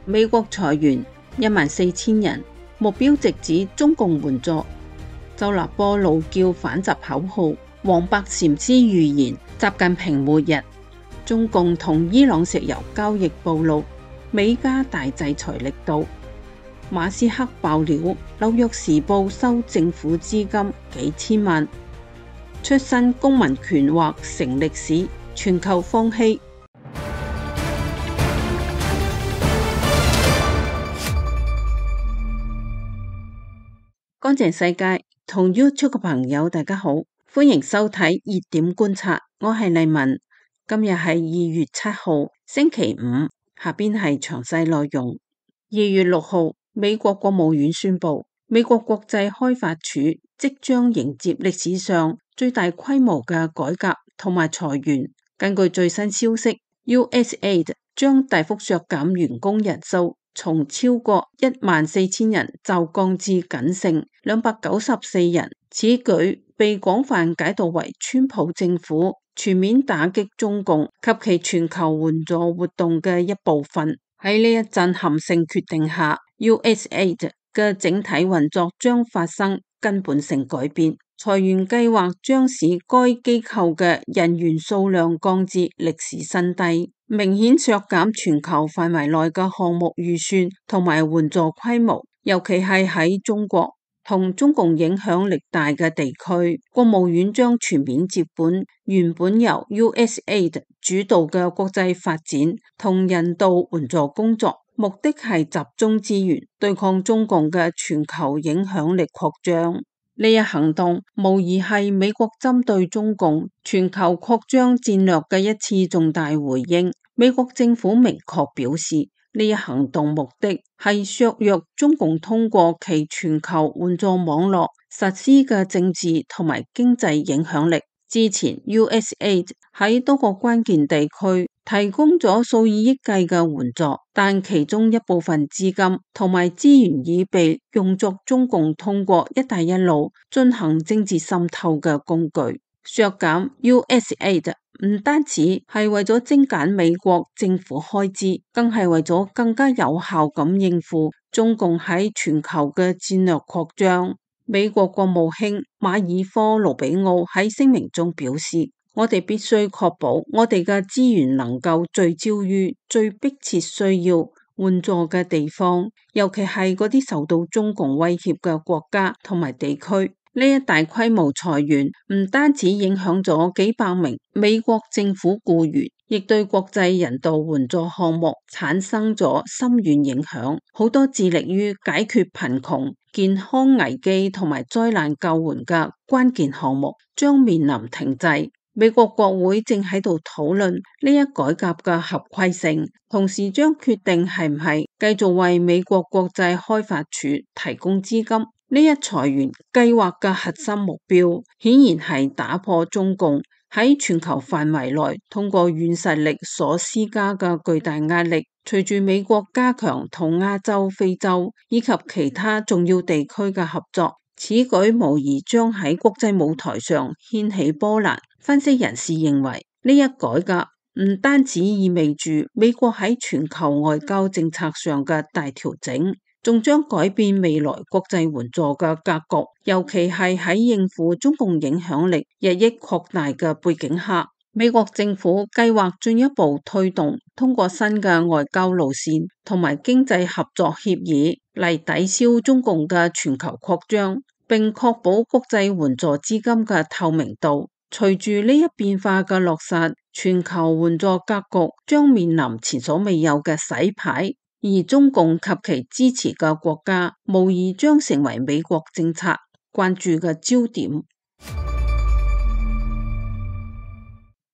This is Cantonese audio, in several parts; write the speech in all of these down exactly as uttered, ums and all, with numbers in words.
美國裁員一萬四千人，目標直指中共援助。周立波怒叫反習口號，黃白禪師預言習近平末日。中共同伊朗石油交易暴露，美加大制裁力度。馬斯克爆料，紐約時報收政府資金幾千萬。出身公民權或成歷史，全球放棄。乾淨世界同 YouTube 嘅朋友大家好，歡迎收睇熱點觀察，我係麗文。今日係二月七號星期五，下邊係詳細內容。二月六號，美國國務院宣布，美國國際開發署即將迎接歷史上最大規模嘅改革同埋裁員。根據最新消息 ，U S A I D 將大幅削減員工人數，從超過一萬四千人驟降至僅剩兩百九十四人。此舉被廣泛解讀為川普政府全面打擊中共及其全球援助活動嘅一部分。喺呢一震撼性決定下， U S A I D 嘅整體運作將發生根本性改變。裁員計劃將使該機構嘅人員數量降至歷史新低，明顯削減全球範圍內嘅項目預算同埋援助規模，尤其係喺中國同中共影響力大嘅地區。國務院將全面接管原本由 U S A I D 主導嘅國際發展同人道援助工作，目的係集中資源對抗中共嘅全球影響力擴張。呢一行動無疑係美國針對中共全球擴張戰略嘅一次重大回應。美國政府明確表示，呢一行動目的係削弱中共通過其全球援助網絡實施嘅政治同埋經濟影響力。之前 U S A I D 喺多個關鍵地區提供咗數以億計嘅援助，但其中一部分資金同埋資源已被用作中共通過一帶一路進行政治滲透嘅工具。削減 U S A I D 唔單止係為咗精簡美國政府開支，更係為咗更加有效咁應付中共喺全球嘅戰略擴張。美國國務卿馬爾科盧比奧喺聲明中表示，我哋必須確保我哋嘅資源能夠聚焦於最迫切需要援助嘅地方，尤其係嗰啲受到中共威脅嘅國家同埋地區。呢一大規模裁員唔單止影響咗幾百名美國政府僱員，亦對國際人道援助項目產生咗深遠影響。好多致力於解決貧窮、健康危機同埋災難救援嘅關鍵項目將面臨停滯。美國國會正喺度討論呢一改革嘅合規性，同時將決定係唔係繼續為美國國際開發署提供資金。呢一裁員計劃嘅核心目標，顯然係打破中共喺全球範圍內通過軟實力所施加嘅巨大壓力。隨住美國加強同亞洲、非洲以及其他重要地區嘅合作，此舉無疑將喺國際舞台上掀起波瀾。分析人士認為，呢一改革唔單止意味住美國喺全球外交政策上嘅大調整，仲將改變未來國際援助嘅格局，尤其係喺應付中共影響力日益擴大嘅背景下。美國政府計劃進一步推動通過新嘅外交路線同埋經濟合作協議嚟抵消中共嘅全球擴張，並確保國際援助資金嘅透明度。隨住呢一變化嘅落實，全球援助格局將面臨前所未有嘅洗牌，而中共及其支持嘅國家無疑將成為美國政策關注嘅焦點。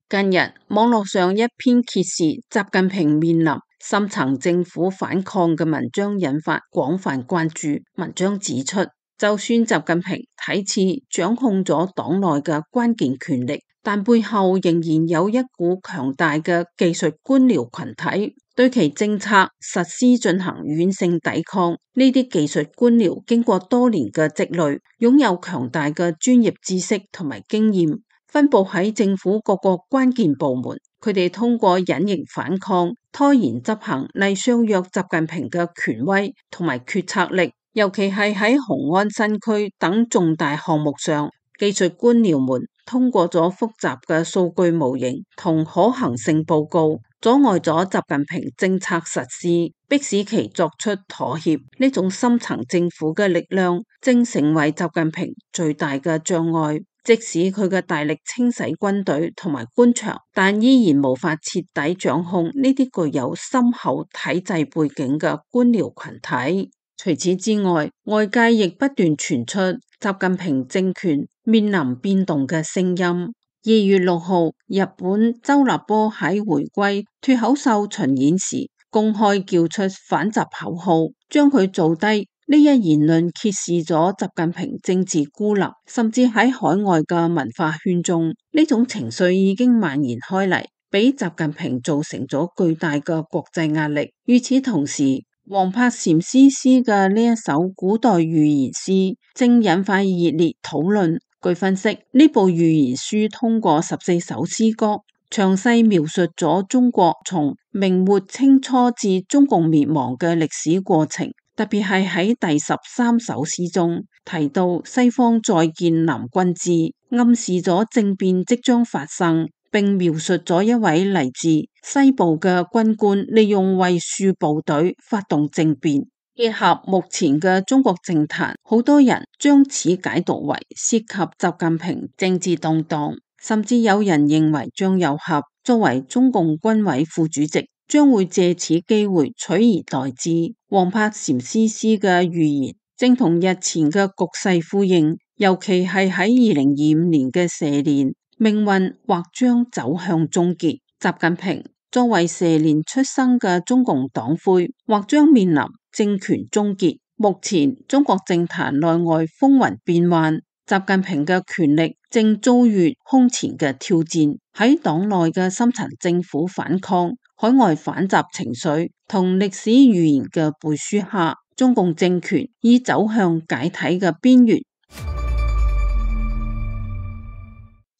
近日，網絡上一篇揭示習近平面臨深層政府反抗嘅文章引發廣泛關注。文章指出，就算習近平睇似掌控咗黨內嘅關鍵權力，但背後仍然有一股強大嘅技術官僚群體對其政策實施進行軟性抵抗。呢啲技術官僚經過多年嘅積累，擁有強大嘅專業知識同埋經驗，分佈喺政府各個關鍵部門，佢哋通過隱形反抗、拖延執行嚟削弱習近平嘅權威同埋決策力，尤其係喺雄安新區等重大項目上，技術官僚們通過咗複雜嘅數據模型同可行性報告，阻礙咗習近平政策實施，迫使其作出妥協。呢種深層政府嘅力量正成為習近平最大嘅障礙。即使佢嘅大力清洗軍隊同埋官場，但依然無法徹底掌控呢啲具有深厚體制背景嘅官僚群體。除此之外，外界亦不斷傳出習近平政權面臨變動嘅聲音。二月六號，日本周立波喺回歸脫口秀巡演時公開叫出反習口號，將佢做低。呢一言論揭示咗習近平政治孤立，甚至喺海外嘅文化圈中，呢種情緒已經蔓延開嚟，俾習近平造成咗巨大嘅國際壓力。與此同時，王柏禪師詩嘅呢一首古代寓言詩正引發熱烈討論。據分析，呢部寓言書通過十四首詩歌，詳細描述咗中國從明末清初至中共滅亡嘅歷史過程。特別係喺第十三首詩中提到西方再建南軍之，暗示咗政變即將發生，並描述咗一位嚟自西部嘅軍官利用衛戍部隊發動政變。結合目前嘅中國政壇，好多人將此解讀為涉及習近平政治動盪，甚至有人認為張又俠作為中共軍委副主席，將會借此機會取而代之。王柏禪師詩嘅預言正同日前嘅局勢呼應，尤其係喺二零二五年嘅蛇年，命運或將走向終結。習近平作為蛇年出生嘅中共黨魁，或將面臨政權終結。目前中國政壇內外風雲變幻，習近平嘅權力正遭遇空前嘅挑戰。喺黨內嘅深層政府反抗、海外反習情緒同歷史預言嘅背書下，中共政權已走向解體嘅邊緣。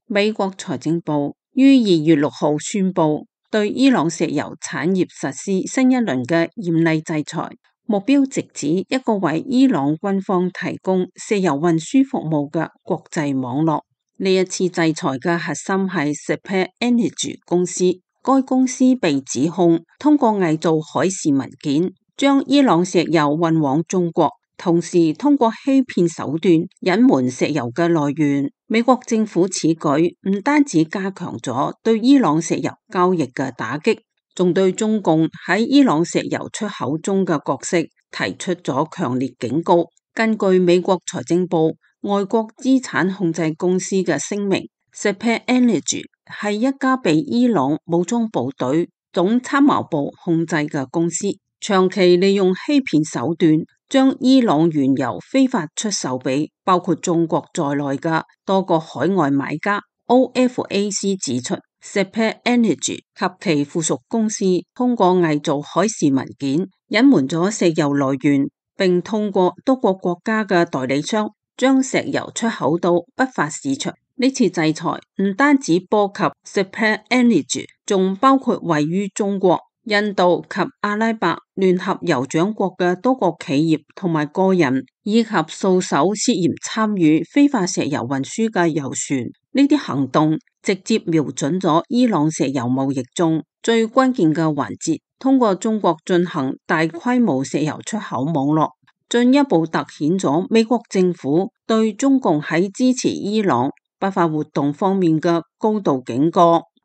美國財政部於二月六號宣布對伊朗石油產業實施新一輪嘅嚴厲制裁，目標直指一個為伊朗軍方提供石油運輸服務嘅國際網絡。呢一次制裁嘅核心係 Seplat Energy 公司。該公司被指控通過偽造海事文件，將伊朗石油運往中國，同時通過欺騙手段隱瞞石油嘅來源。美國政府此舉唔單止加強咗對伊朗石油交易嘅打擊，仲對中共喺伊朗石油出口中嘅角色提出咗強烈警告。根據美國財政部外國資產控制公司嘅聲明， Seplat Energy 係一家被伊朗武裝部隊總參謀部控制嘅公司，長期利用欺騙手段將伊朗原油非法出售俾包括中國在內嘅多個海外買家。 O F A C 指出， Seplat Energy 及其附屬公司通過偽造海事文件，隱瞞咗石油來源，並通過多個國家嘅代理商將石油出口到不法市場。呢次制裁唔單止波及 Seplat Energy， 仲包括位於中國、印度及阿拉伯聯合酋長國嘅多個企業同埋個人，以及數艘涉嫌參與非法石油運輸嘅油船。呢啲行動直接瞄準咗伊朗石油貿易中最關鍵嘅環節，通過中國進行大規模石油出口網絡，進一步凸顯咗美國政府對中共喺支持伊朗不法活動方面嘅高度警覺。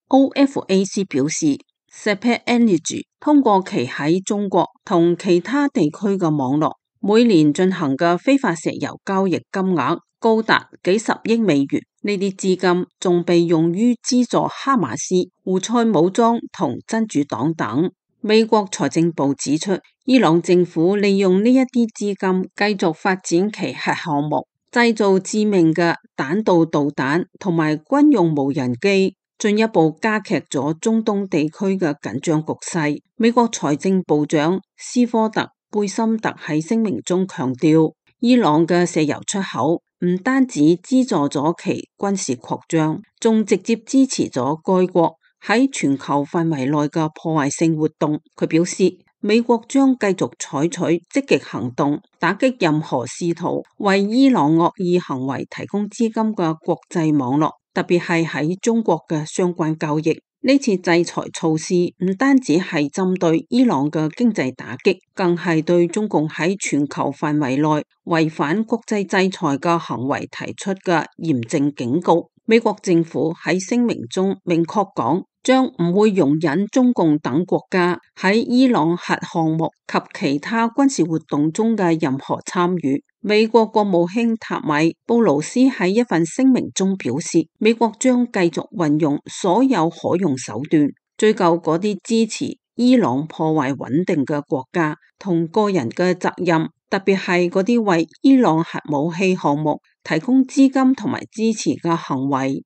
O F A C 表示， Seplat Energy 通過其喺中國同其他地區嘅網絡，每年進行嘅非法石油交易金額高達幾十億美元。呢啲資金仲被用於資助哈馬斯、胡塞武裝同真主黨等。美國財政部指出，伊朗政府利用呢一啲資金繼續發展其核項目，製造致命嘅彈道導彈同埋軍用無人機，進一步加劇咗中東地區嘅緊張局勢。美國財政部長斯科特貝森特喺聲明中強調，伊朗嘅石油出口唔單止資助咗其軍事擴張，仲直接支持咗該國喺全球範圍內嘅破壞性活動。佢表示，美國將繼續採取積極行動，打擊任何試圖為伊朗惡意行為提供資金嘅國際網絡，特別係喺中國嘅相關交易。呢次制裁措施唔單止係針對伊朗嘅經濟打擊，更係對中共喺全球範圍內違反國際制裁嘅行為提出嘅嚴正警告。美國政府喺聲明中明確講，將唔會容忍中共等國家喺伊朗核項目及其他軍事活動中嘅任何參與。美國國務卿塔米布魯斯喺一份聲明中表示，美國將繼續運用所有可用手段，追究嗰啲支持伊朗破壞穩定嘅國家同個人嘅責任，特別係嗰啲為伊朗核武器項目提供資金同埋支持嘅行為。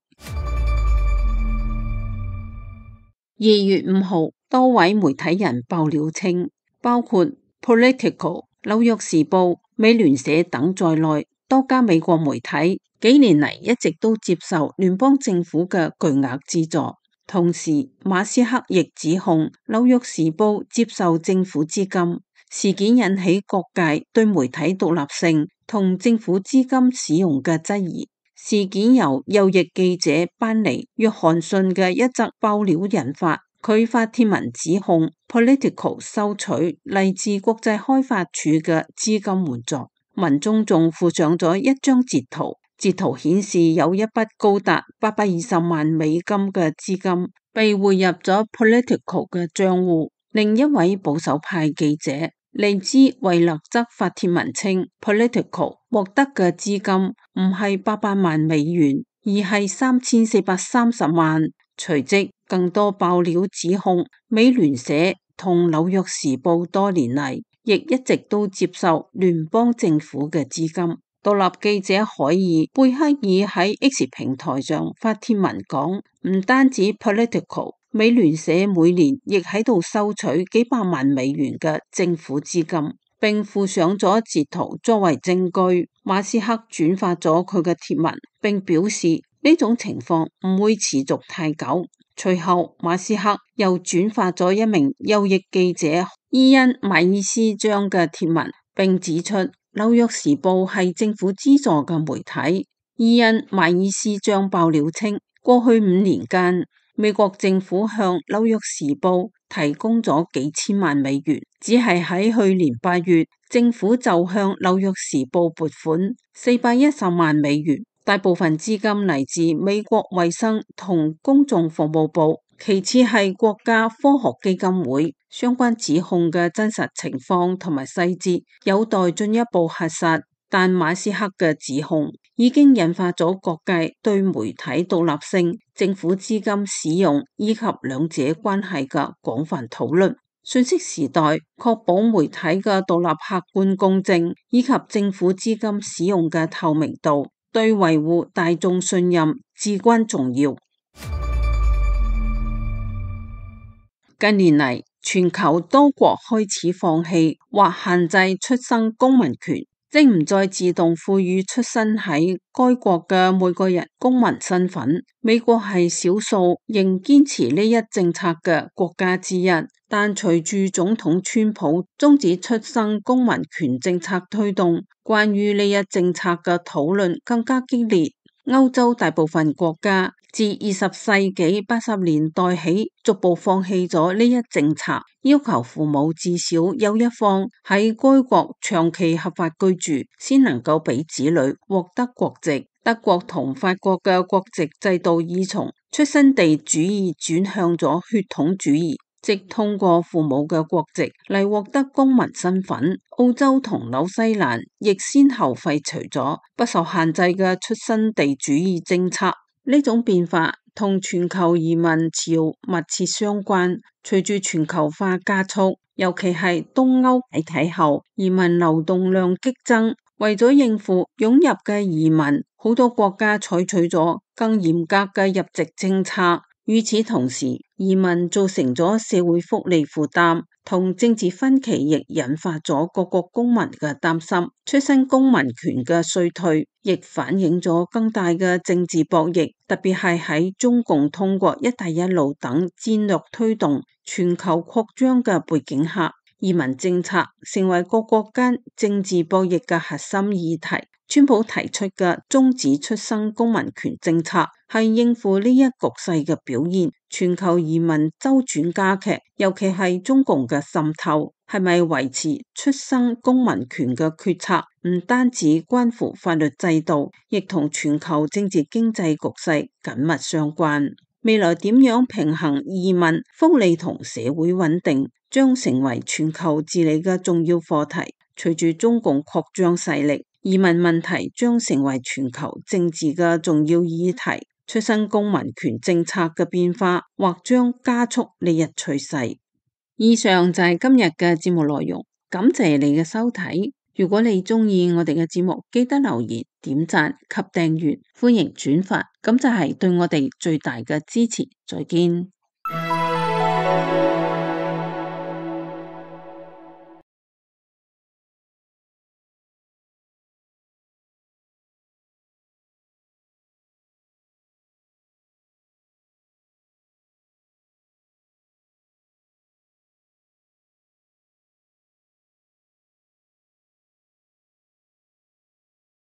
二月五號，多位媒體人爆料稱，包括 Politico、紐約時報、美聯社等在內，多家美國媒體幾年嚟一直都接受聯邦政府嘅巨額資助。同時，馬斯克亦指控紐約時報接受政府資金。事件引起各界對媒體獨立性同政府資金使用嘅質疑。事件由右翼記者班尼約翰遜嘅一則爆料引發，佢發帖文指控 Politico 收取嚟自國際開發署嘅資金援助。文中仲附上咗一張截圖，截圖顯示有一筆高達八百二十萬美金嘅資金被匯入咗 Politico 嘅賬戶。另一位保守派記者利茲維勒則發帖文稱 Politico 獲得嘅資金唔係八百萬美元，而係三千四百三十萬。隨即更多爆料指控美聯社同紐約時報多年嚟亦一直都接受聯邦政府嘅資金。獨立記者海爾貝克爾喺 X 平台上發帖文講，唔單止 Politico， 美聯社每年亦喺度收取幾百萬美元嘅政府資金，並附上咗截圖作為證據。馬斯克轉發咗佢嘅帖文，並表示呢種情況唔會持續太久。隨後，馬斯克又轉發咗一名右翼記者伊恩·邁爾斯張嘅帖文，並指出紐約時報係政府資助嘅媒體。伊恩·邁爾斯張爆料稱，過去五年間，美國政府向紐約時報提供咗幾千萬美元，只係喺去年八月，政府就向紐約時報撥款四百一十萬美元。大部分資金嚟自美國衛生同公眾服務部，其次係國家科學基金會。相關指控嘅真實情況同埋細節有待進一步核實，但馬斯克嘅指控已經引發咗各界對媒體獨立性、政府資金使用以及兩者關係嘅廣泛討論。信息時代確保媒體嘅獨立、客觀、公正，以及政府資金使用嘅透明度，對維護大眾信任至關重要。近年嚟，全球多國開始放棄或限制出生公民權，即唔再自動賦予出生喺該國嘅每個人公民身份。美國係少數仍堅持呢一政策嘅國家之一，但隨住總統川普終止出生公民權政策推動，關於呢一政策嘅討論更加激烈。歐洲大部分國家自二十世紀八十年代起，逐步放棄咗呢一政策，要求父母至少有一方喺該國長期合法居住，先能夠俾子女獲得國籍。德國同法國嘅國籍制度已從出生地主義轉向咗血統主義，即通過父母嘅國籍嚟獲得公民身份。澳洲同紐西蘭亦先後廢除咗不受限制嘅出生地主義政策。呢種變化同全球移民潮密切相關。隨住全球化加速，尤其係東歐解體後，移民流動量激增。為咗應付湧入嘅移民，好多國家採取咗更嚴格嘅入籍政策。與此同時，移民造成咗社會福利負擔，同政治分歧亦引發咗各國公民嘅擔心。出生公民權嘅衰退，亦反映咗更大嘅政治博弈，特別係喺中共通過一帶一路等戰略推動全球擴張嘅背景下，移民政策成為各國間政治博弈嘅核心議題。川普提出嘅終止出生公民權政策係應付呢一局勢嘅表現。全球移民周轉加劇，尤其係中共嘅滲透，係咪維持出生公民權嘅決策，唔單止關乎法律制度，亦同全球政治經濟局勢緊密相關。未來點樣平衡移民、福利同社會穩定，將成為全球治理嘅重要課題。隨住中共擴張勢力，移民問題將成為全球政治嘅重要議題。出生公民權政策嘅變化，或將加速呢一趨勢。以上就係今日嘅節目內容，感謝你嘅收睇。如果你鍾意我哋嘅節目，記得留言、點讚及訂閱，歡迎轉發，咁就係對我哋最大嘅支持。再見。